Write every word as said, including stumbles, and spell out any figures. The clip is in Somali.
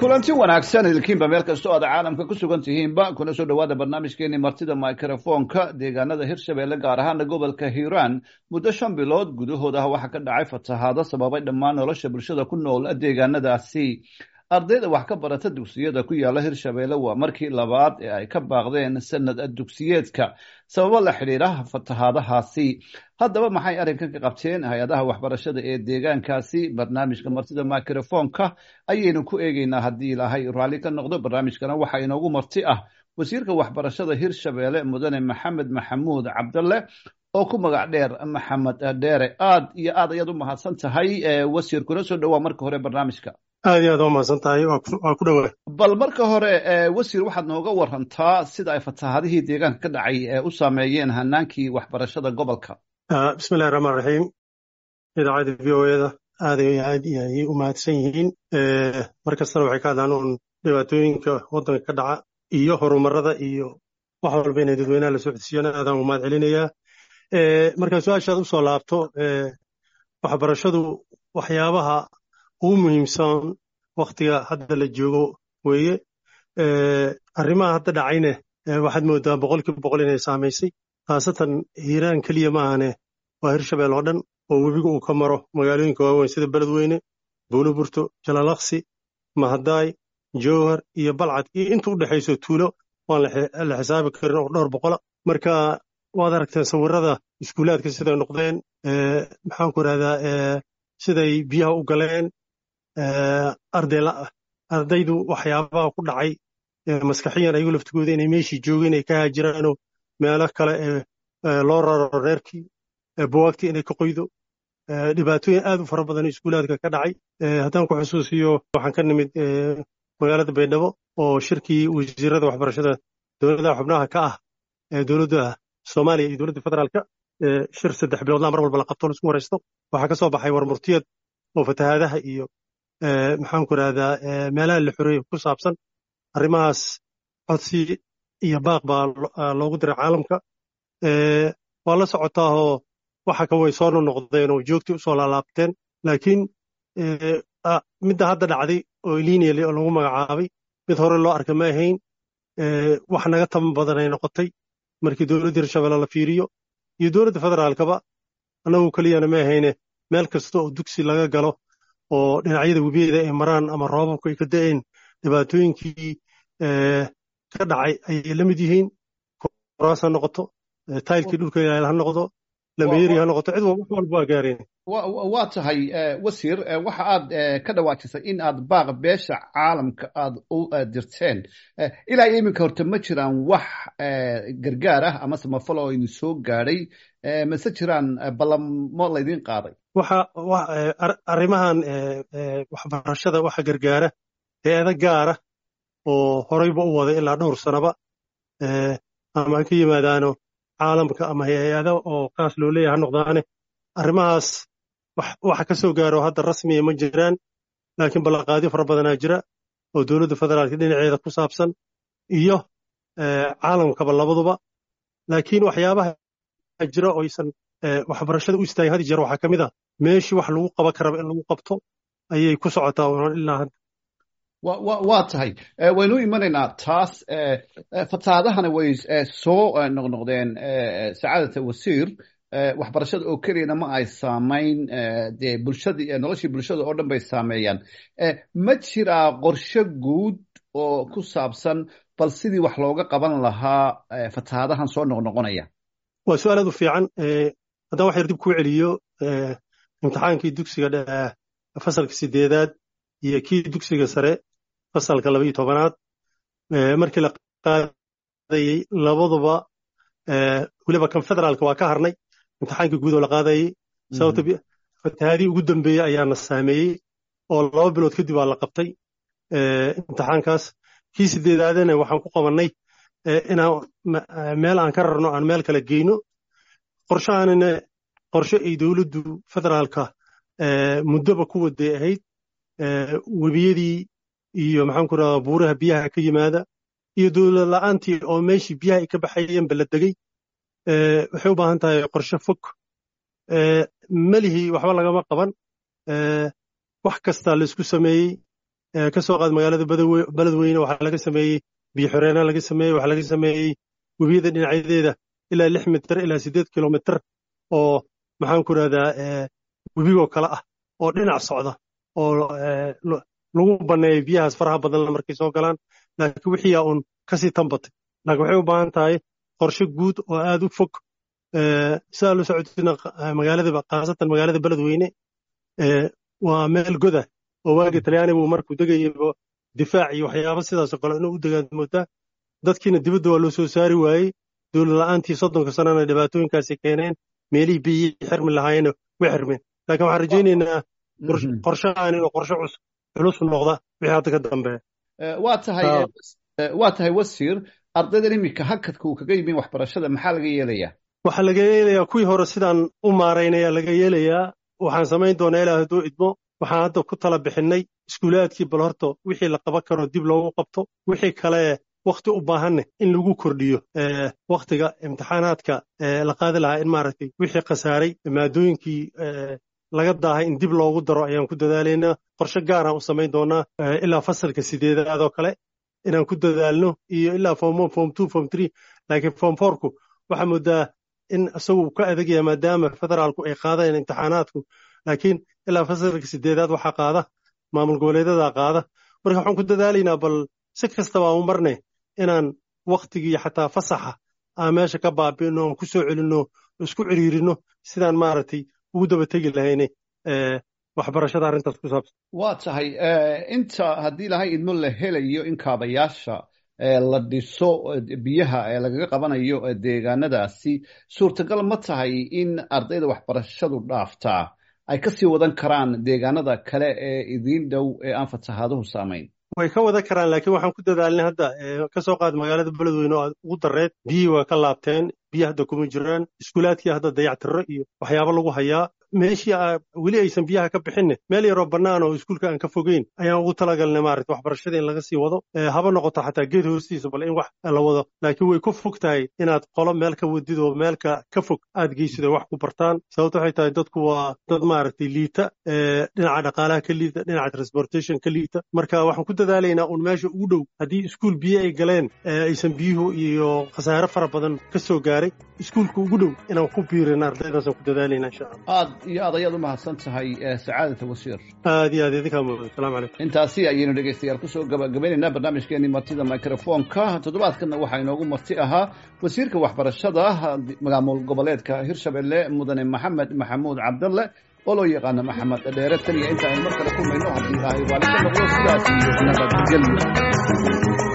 Kulanti wanaagsan idilkiinba meel kastoo aad caalamka ku sugan tihiinba, kuna soo dhowaada barnaamijkeeni Martida Microfoonka. Deegaanada Hirshabeelle, gaar ahaana gobolka Hiiraan, muddo shan bilood gudahood ah waxaa ka dhacay fatahaado sababay dhammaan nolosha bulshada ku nool deegaanadaasi. Ardayda wax ka barata dugsiyada ku yaala Hirshabeelle waa markii labaad ee ay ka baaqdeen sanad dugsiyeedka sababo la xidhiira fatahaadahaasi. Haddaba, maxay arrinkan ka qabteen hay-adaha waxbarashada ee deegaankaasi? Barnaamijka Martida Microfoonka ayaynu ku eegeynaa haddii Ilaahay raalli ka noqdo. Barnaamijkana waxaa inoogu marti ah wasiirka waxbarashada Hirshabeelle, mudane Maxamed Maxamuud Cabdalle, oo ku magac dheer Maxamed Dheere. Aad iyo aad ayaad u mahadsan tahay, wasiir. Kuna soo dhowaa marka hore barnaamijka. Aad iyo aad waa mahadsan tahay, waa ku dhowaa. Bal marka hore, wasiir, waxaad nooga warantaa sida ay fatahaadihii deegaanka ka dhacay u saameeyeen hanaankii waxbarashada gobolka. Bismillahi raxmaan raxiim. Idaacadda V O A da aad iyo aad ayay u mahadsan yihiin. Mar kastana waxay ka hadlaan uun dhibaatooyinka waddanka ka dhaca iyo horumarada iyo wax walba inay dadweynaha la socodsiiyaan. Aadaan u mahad celinayaa. Markaa su-aashaad usoo laabto, waxbarashadu waxyaabaha ugu muhiimsan wakhtiga hadda la joogo weeye. Arrimaha hadda dhacayne waxaad moodaa boqolkiiba boqol inay saamaysay, khaasatan Hiiraan keliya maahane, waa Hirshabeel oo dhan oo webiga uu ka maro magaalooyinka waaweyn sida Beledweyne, Buuloburto, Jalalaqsi, Mahadaay, Jowhar iyo Balcad iyo inta u dhexayso tuulo waan la xisaabi karin oo dhowr boqola. Marka waad aragteen sawirada iskuulaadka siday noqdeen, maxaan ku idhahdaa, siday biyaha u galeen, ardaydu waxyaabaha ku dhacay maskaxiyan, ayagu laftigooda inay meeshii joogeen ay ka haajiraanoo meelo kale ee loo raro, reerkii buwaagtii inay ka qoydo, dhibaatooyin aad u fara badan iskuulaadka ka dhacay. Haddaan ku xusuusiyo, waxaan ka nimid magaalada Baydhabo oo shirkii wasiirada waxbarashada dowladaha xubnaha ka ah ee dowladda Soomaaliya iyo dowladda federaalka, shir saddex biloodlaa mar walba la qabto, laisku waraysto. Waxaa ka soo baxay warmurtiyad oo fatahaadaha iyo, maxaan ku idhahdaa, meelaha la xoreeyey ku saabsan. Arrimahaas codsi iyo baaq baa loogu diray caalamka. Waa la socotaahoo waxa ka way soo noqnoqdeen oo joogtii usoo laalaabteen, laakiin midda hadda dhacday oo El Niño lagu magacaabay mid hore loo arka ma ahayn. Wax naga taban badan ay noqotay markii dowladda Hirshabelle la fiiriyo iyo dowladda federaalkaba. Annagu keliyana ma ahayne, meel kasta oo dugsi laga galo oo dhinacyada webiyada ay maraan ama roobabku ay ka da'een, dhibaatooyinkii ka dhacay ayay la mid yihiin. Kuraas ha noqoto, taylkii dhulka yaal ha noqdo, lameeri ha noqoto, cid wax walba waa gaareen. Waa tahay, wasiir. Waxa aad ka dhawaajisay in aad baaq beesha caalamka aad u dirteen. Ilaa iyo iminka horta ma jiraan wax gargaar ah ama samafal oo idin soo gaadhay, mase jiraan ballamo laydin qaaday? Waxa arrimahan waxbarashada waxa gargaara hay-ado gaara oo horeyba u waday ilaa dhowr sanaba, ama ha ka yimaadaano caalamka ama hay-ado oo kaas loo leeyahay ha noqdaane. Arrimahaas waxa ka soo gaaro hadda rasmiya ma jiraan, laakiin ballanqaadyo fara badanaa jira oo dowladda federaalka dhinaceeda ku saabsan iyo caalamkaba labaduba. Laakiin waxyaabaha jira oo aysan waxbarashada u istaagin had jeer waxaa ka mid ah meeshii wax lagu qaban karaba in lagu qabto ayay ku socotaa ilaa hadda. Waa tahay, waynu imanaynaa taas. Fatahaadahana way soo noqnoqdeen, sacaadata wasiir. Waxbarashada oo keliyana ma ay saamayn, dee bulshadii, noloshii bulshada oo dhan bay saameeyaan. Ma jiraa qorshe guud oo ku saabsan bal sidii wax looga qaban lahaa fatahaadahan soo noqnoqonaya? Waa su-aal aad u fiican. Haddaan wax yar dib kuu celiyo, imtixaankii dugsiga fasalka sideedaad iyo kii dugsiga sare fasalka laba iyo tobanaad markii la qaadayey labaduba, weliba kan federaalka waa ka harnay imtixaankii guud oo la qaadayey, sababta fatahaadii ugu dambeeyey ayaana saameeyey oo laba bilood kadib waa la qabtay imtixaankaas. Kii sideedaadana waxaan ku qabannay inaan meel aan ka rarno, aan meel kale geyno. Qorshahanina qorshe ay dowladdu federaalka muddoba ku waday ahayd. Webiyadii iyo, maxaan ku rahdaa, buuraha biyaha ka yimaada iyo dowlad la'aantii oo meeshii biyaha ay ka baxayeen ba la degay, waxay u baahan tahay qorshe fog. Melihii waxba lagama qaban, wax kasta la isku sameeyey. Ka soo qaad magaalada Beledweyne, waxaa laga sameeyey biyo xireena laga sameeyey, waxaa laga sameeyey webiyada dhinacyadeeda ilaa lix mitir ilaa siddeed kilomitir oo maxaan ku rahdaa webigoo kale ah oo dhinac socda oo lagu banneeyo biyahaas faraha badanla markay soo galaan. Laakiin wixiiyaa uun kasii tanbatay, laakiin waxay u baahan tahay qorshe guud oo aad u fog. Sidaa loo socotina magaalada, khaasatan magaalada Beledweyne, waa meel goda oo waagii Talyaanigu markuu degayay difaac iyo waxyaabo sidaasoo kale inuu u degaan moodaa. Dadkiina dibadda waa loo soo saari waayey, dowlad la'aantii soddonka sanana dhibaatooyinkaasi keeneen, meelihii biyihii xirmi lahaayena way xirmeen. Laakiin waxaan rajaynaynaa qorshahan inuu qorshe culus noqda wixii hadda ka dambeeya. Waa tahay, waa tahay wasiir. Ardaydan iminka hakadka uu kaga yimin waxbarashada maxaa laga yeelayaa? Waxaa laga yeelayaa kuwii hore sidaan u maaraynaya laga yeelayaa. Waxaan samayn doonaa ilaa hadduu idmo, waxaan hadda ku tala bixinnay iskuulaadkii bal horta wixii la qaban karo dib loogu qabto, wixii kale wakhti u baahanne in lagu kordhiyo wakhtiga imtixaanaadka la qaadi lahaa, in maaragtay wixii khasaaray maadooyinkii laga daahay in dib loogu daro ayaan ku dadaalaynaa. Qorshe gaaraan u samayn doonaa ilaa fasalka sideedaad oo kale inaan ku dadaalno iyo ilaa form one, form two, form three. Laakiin form fourku waxaa moodaa in isagu ka adagaya maadaama federaalku ay qaadayaan imtixaanaadku, laakiin ilaa fasalka sideedaad waxaa qaada maamul goboleedyada qaada. Marka waxaan ku dadaalaynaa bal si kastaba aan u marnay inaan wakhtigii xataa fasaxa aan meesha ka baabi'ino, aan ku soo celinno, isku ciriirino sidaan maaragtay ugu daba tegi lahayne waxbarashada arrintaas ku saabsan. Waa tahay. Inta haddii Ilahay idmo la helayo in kaabayaasha la dhiso biyaha ee lagaga qabanayo deegaanadaasi, suurtagal ma tahay in ardayda waxbarashadu dhaaftaa ay kasii wadan karaan deegaanada kale ee idiin dhow ee aan fatahaaduhu saamayn? Way ka wadan karaan, laakiin waxaan ku dadaalnay hadda ka soo qaad magaalada Beledweyne oo aad ugu dareed, biyihii waa ka laabteen, biyo hadda kuma jiraan, iskuulaadkii hadda dayactiro iyo waxyaabo lagu hayaa. Meeshii weli aysan biyaha ka bixinne meel yaroo bannaan oo iskuulka aan ka fogeyn ayaan ugu talagalnay maaragta waxbarashada in laga sii wado, haba noqoto xataa geed hoostiisa bal in wax la wado. Laakiin way ku fog tahay inaad qolo meel ka wadid oo meelka ka fog aad geysid oo wax ku bartaan. Sababto waxay tahay dadku waa dad maaragtay liita, dhinaca dhaqaalaha ka liita, dhinaca transportation ka liita. Marka waxaan ku dadaalaynaa uun meesha ugu dhow haddii iskuul biyo ay galeen aysan biyuhu iyo khasaare fara badan ka soo gaaray, iskuulka ugu dhow inaan ku biirino ardaydaasaan ku dadaalaynaa insha Allah. Aad iyo aad ayaad u mahadsan tahay sacaadata wasiir. Aad iyo aad idinkaa mudan. Asalaamu calaykum. Intaasi ayaynu dhegeystayaal kusoo gabagabaynaynaa barnaamijkeenii martida microfoonka. Toddobaadkanna waxaa inoogu marti ahaa wasiirka waxbarashada maamul goboleedka Hirshabelle, mudane Maxamed Maxamuud Cabdalle oo loo yaqaano Maxamed Dheere. Tan iyo inta aynu mar kale kulmayno haddii Ilaahay raalli ka noqdo, sidaas iyo nabadgelyo.